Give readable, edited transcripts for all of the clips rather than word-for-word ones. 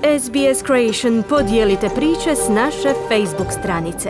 SBS Creation podijelite priče s naše Facebook stranice.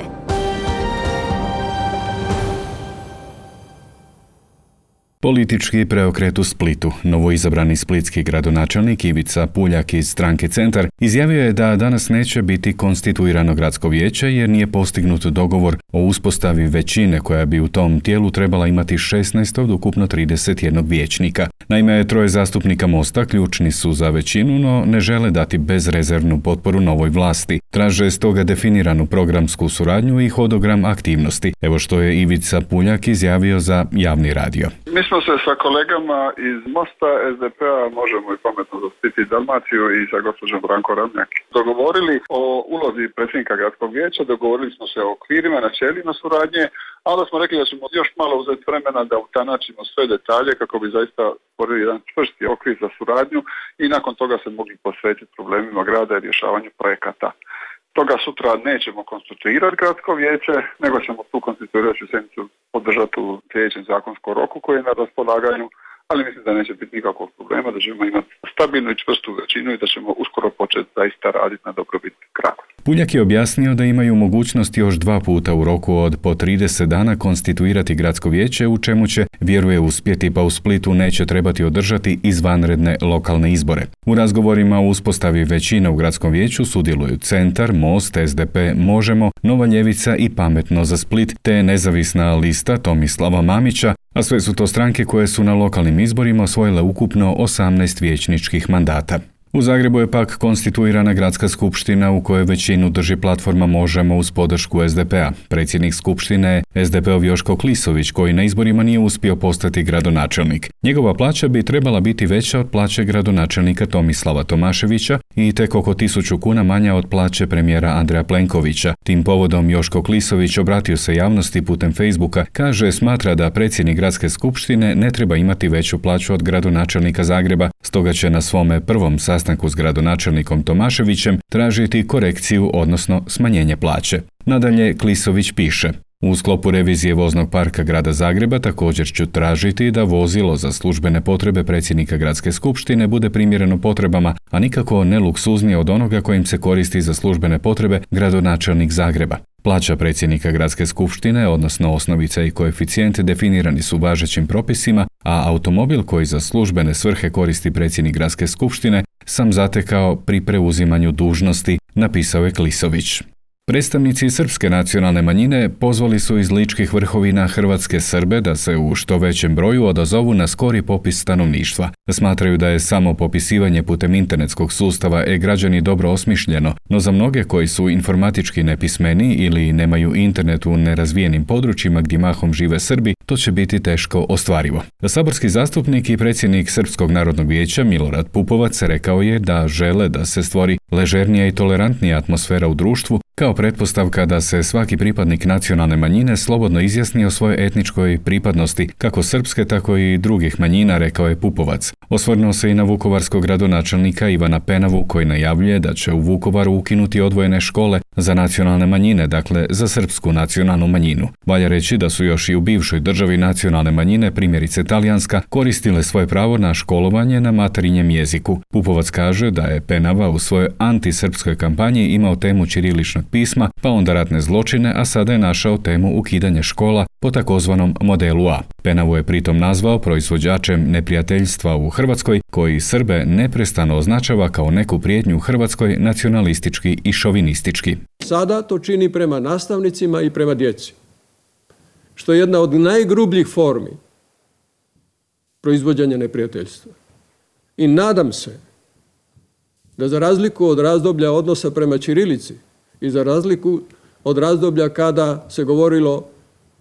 Politički preokret u Splitu. Novoizabrani splitski gradonačelnik Ivica Puljak iz stranke Centar izjavio je da danas neće biti konstituirano gradsko vijeće jer nije postignut dogovor o uspostavi većine koja bi u tom tijelu trebala imati 16 od ukupno 31 vijećnika. Naime, troje zastupnika Mosta ključni su za većinu, no ne žele dati bezrezervnu potporu novoj vlasti. Traže stoga definiranu programsku suradnju i hodogram aktivnosti. Evo što je Ivica Puljak izjavio za javni radio. Mi smo se sa kolegama iz Mosta, SDP-a, Možemo i Pametno za Split i Dalmaciju i sa gospođom Branko Ramljak dogovorili o ulozi predsjednika gradskog vijeća, dogovorili smo se o okvirima, načelima suradnje, a onda smo rekli da ćemo još malo uzeti vremena da utanačimo sve detalje kako bi zaista stvorili jedan čvrsti okvir za suradnju i nakon toga se mogli posvetiti problemima grada i rješavanju projekata. Toga sutra nećemo konstituirati gradsko vijeće, nego ćemo tu konstituirajuću sjednicu podržati u sljedećem zakonskom roku koji je na raspolaganju, ali mislim da neće biti nikakvog problema, da ćemo imati stabilnu i čvrstu većinu i da ćemo uskoro početi zaista raditi na dobrobit grada. Puljak je objasnio da imaju mogućnost još 2 puta u roku od po 30 dana konstituirati gradsko vijeće, u čemu će, vjeruje, uspjeti, pa u Splitu neće trebati održati izvanredne lokalne izbore. U razgovorima o uspostavi većine u gradskom vijeću sudjeluju Centar, Most, SDP, Možemo, Nova ljevica i Pametno za Split, te nezavisna lista Tomislava Mamića, a sve su to stranke koje su na lokalnim izborima osvojile ukupno 18 vijećničkih mandata. U Zagrebu je pak konstituirana gradska skupština u kojoj većinu drži platforma Možemo uz podršku SDP-a. Predsjednik skupštine je SDP-ov Joško Klisović, koji na izborima nije uspio postati gradonačelnik. Njegova plaća bi trebala biti veća od plaće gradonačelnika Tomislava Tomaševića i tek oko 1000 kuna manja od plaće premijera Andreja Plenkovića. Tim povodom Joško Klisović obratio se javnosti putem Facebooka, kaže smatra da predsjednik gradske skupštine ne treba imati veću plaću od gradonačelnika Zagreba, stoga će na svome prvom sastanku s gradonačelnikom Tomaševićem tražiti korekciju, odnosno smanjenje plaće. Nadalje, Klisović piše: u sklopu revizije voznog parka grada Zagreba također ću tražiti da vozilo za službene potrebe predsjednika gradske skupštine bude primjereno potrebama, a nikako ne luksuznije od onoga kojim se koristi za službene potrebe gradonačelnik Zagreba. Plaća predsjednika gradske skupštine, odnosno osnovica i koeficijent, definirani su važećim propisima, a automobil koji za službene svrhe koristi predsjednik gradske skupštine sam zatekao pri preuzimanju dužnosti, napisao je Klisović. Predstavnici srpske nacionalne manjine pozvali su iz Ličkih vrhovina hrvatske Srbe da se u što većem broju odazovu na skori popis stanovništva. Smatraju da je samo popisivanje putem internetskog sustava e-građani dobro osmišljeno, no za mnoge koji su informatički nepismeni ili nemaju internet u nerazvijenim područjima gdje mahom žive Srbi, to će biti teško ostvarivo. Saborski zastupnik i predsjednik Srpskog narodnog vijeća Milorad Pupovac rekao je da žele da se stvori ležernija i tolerantnija atmosfera u društvu, kao pretpostavka da se svaki pripadnik nacionalne manjine slobodno izjasni o svojoj etničkoj pripadnosti, kako srpske, tako i drugih manjina, rekao je Pupovac. Osvrnuo se i na vukovarskog gradonačelnika Ivana Penavu, koji najavljuje da će u Vukovaru ukinuti odvojene škole za nacionalne manjine, dakle za srpsku nacionalnu manjinu. Valja reći da su još i u bivšoj državi nacionalne manjine, primjerice talijanska, koristile svoje pravo na školovanje na materinjem jeziku. Pupovac kaže da je Penava u svojoj antisrpskoj kampanji imao temu ćiriličnog pisma, pa onda ratne zločine, a sada je našao temu ukidanje škola po takozvanom modelu A. Penavu je pritom nazvao proizvođačem neprijateljstva u Hrvatskoj, koji Srbe neprestano označava kao neku prijetnju Hrvatskoj nacionalistički i šovinistički. Sada to čini prema nastavnicima i prema djeci, što je jedna od najgrubljih formi proizvođenja neprijateljstva. I nadam se da za razliku od razdoblja odnosa prema ćirilici i za razliku od razdoblja kada se govorilo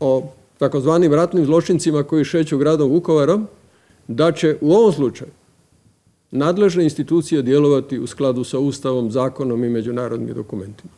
o takozvanim ratnim zločincima koji šeću gradom Vukovarom, da će u ovom slučaju nadležne institucije djelovati u skladu sa Ustavom, zakonom i međunarodnim dokumentima.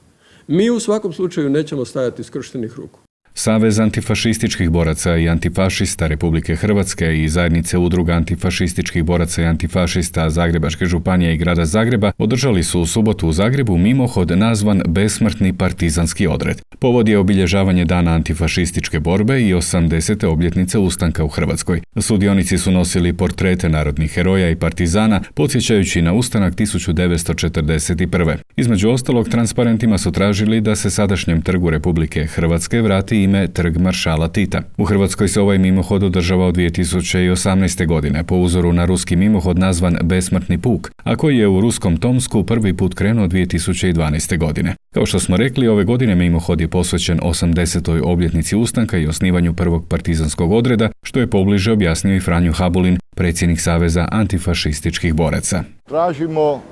Mi u svakom slučaju nećemo stajati skrštenih ruku. Savez antifašističkih boraca i antifašista Republike Hrvatske i zajednice udruga antifašističkih boraca i antifašista Zagrebačke županije i grada Zagreba održali su u subotu u Zagrebu mimohod nazvan Besmrtni partizanski odred. Povod je obilježavanje dana antifašističke borbe i 80. obljetnice ustanka u Hrvatskoj. Sudionici su nosili portrete narodnih heroja i partizana, podsjećajući na ustanak 1941. Između ostalog, transparentima su tražili da se sadašnjem trgu Republike Hrvatske vrati ime Trg maršala Tita. U Hrvatskoj se ovaj mimohod održava od 2018. godine po uzoru na ruski mimohod nazvan Besmrtni puk, a koji je u ruskom Tomsku prvi put krenuo 2012. godine. Kao što smo rekli, ove godine mimohod je posvećen 80. obljetnici ustanka i osnivanju prvog partizanskog odreda, što je pobliže objasnio i Franjo Habulin, predsjednik Saveza antifašističkih boraca. Tražimo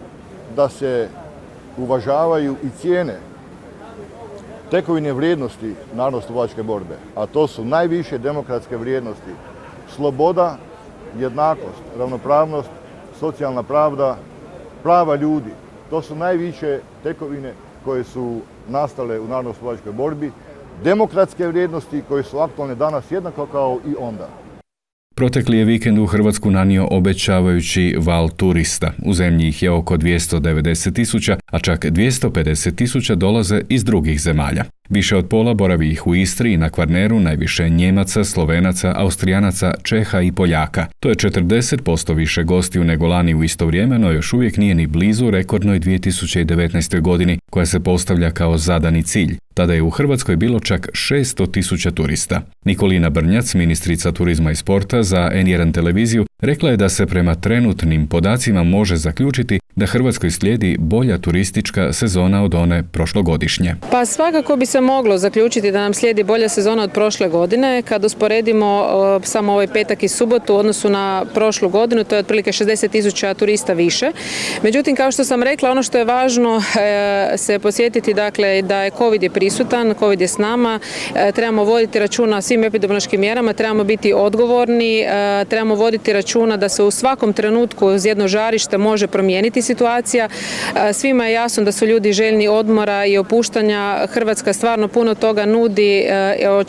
da se uvažavaju i cijene tekovine vrijednosti narodnooslobodilačke borbe, a to su najviše demokratske vrijednosti: sloboda, jednakost, ravnopravnost, socijalna pravda, prava ljudi. To su najviše tekovine koje su nastale u narodnooslobodilačkoj borbi, demokratske vrijednosti koje su aktualne danas jednako kao i onda. Protekli je vikend u Hrvatsku nanio obećavajući val turista. U zemlji ih je oko 290.000, a čak 250.000 dolaze iz drugih zemalja. Više od pola boravi ih u Istri i na Kvarneru, najviše Njemaca, Slovenaca, Austrijanaca, Čeha i Poljaka. To je 40% više gostiju nego lani u isto vrijeme, no još uvijek nije ni blizu rekordnoj 2019. godini, koja se postavlja kao zadani cilj. Tada je u Hrvatskoj bilo čak 600.000 turista. Nikolina Brnjac, ministrica turizma i sporta za N1 televiziju, rekla je da se prema trenutnim podacima može zaključiti da Hrvatskoj slijedi bolja turistička sezona od one prošlogodišnje. Pa svakako bi se moglo zaključiti da nam slijedi bolja sezona od prošle godine. Kad usporedimo samo ovaj petak i subotu u odnosu na prošlu godinu, to je otprilike 60.000 turista više. Međutim, kao što sam rekla, ono što je važno se posjetiti, dakle, da je COVID je prisutan, COVID je s nama, trebamo voditi računa o svim epidemiološkim mjerama, trebamo biti odgovorni, trebamo voditi računa da se u svakom trenutku uz jedno žarište može promijeniti situacija. Svima je jasno da su ljudi željni odmora i opuštanja. Hrvatska stvarno puno toga nudi,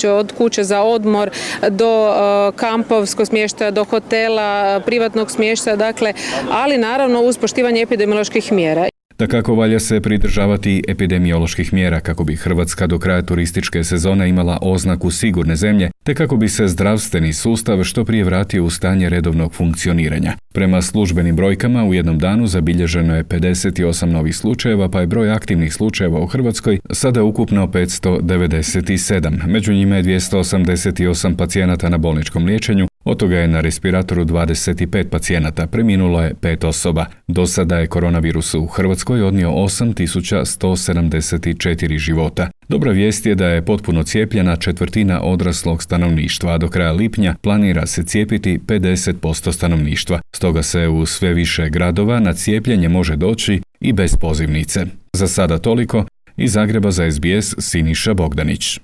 od kuće za odmor do kampovskog smještaja, do hotela, privatnog smještaja, dakle, ali naravno uz poštivanje epidemioloških mjera. Dakako, valja se pridržavati epidemioloških mjera kako bi Hrvatska do kraja turističke sezone imala oznaku sigurne zemlje, te kako bi se zdravstveni sustav što prije vratio u stanje redovnog funkcioniranja. Prema službenim brojkama, u jednom danu zabilježeno je 58 novih slučajeva, pa je broj aktivnih slučajeva u Hrvatskoj sada ukupno 597. Među njima je 288 pacijenata na bolničkom liječenju, od toga je na respiratoru 25 pacijenata, preminulo je 5 osoba. Do sada je koronavirus u Hrvatskoj odnio 8.174 života. Dobra vijest je da je potpuno cijepljena četvrtina odraslog stanovništva, a do kraja lipnja planira se cijepiti 50% stanovništva. Stoga se u sve više gradova na cijepljenje može doći i bez pozivnice. Za sada toliko. Iz Zagreba za SBS Siniša Bogdanić.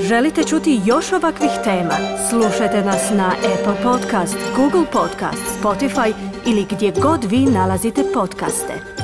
Želite čuti još ovakvih tema? Slušajte nas na Apple Podcast, Google Podcast, Spotify ili gdje god vi nalazite podcaste.